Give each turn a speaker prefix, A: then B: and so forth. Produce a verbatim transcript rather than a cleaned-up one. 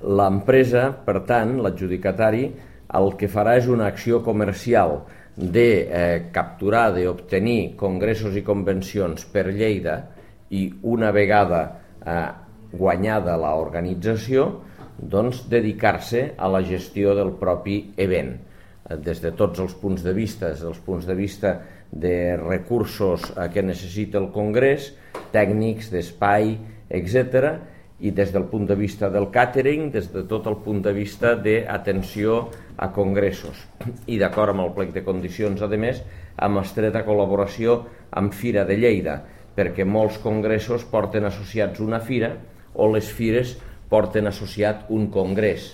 A: L'empresa, per tant, l'adjudicatari, el que farà és una acció comercial de eh, capturar, d'obtenir congressos i convencions per Lleida i una vegada eh, guanyada l'organització, doncs dedicar-se a la gestió del propi event, des de tots els punts de vista, des dels punts de vista de recursos que necessita el congrés, tècnics, d'espai, etcètera, i des del punt de vista del càtering, des de tot el punt de vista d'atenció a congressos. I d'acord amb el plec de condicions, a més, amb estreta col·laboració amb Fira de Lleida, perquè molts congressos porten associats una fira o les fires porten associat un congrés.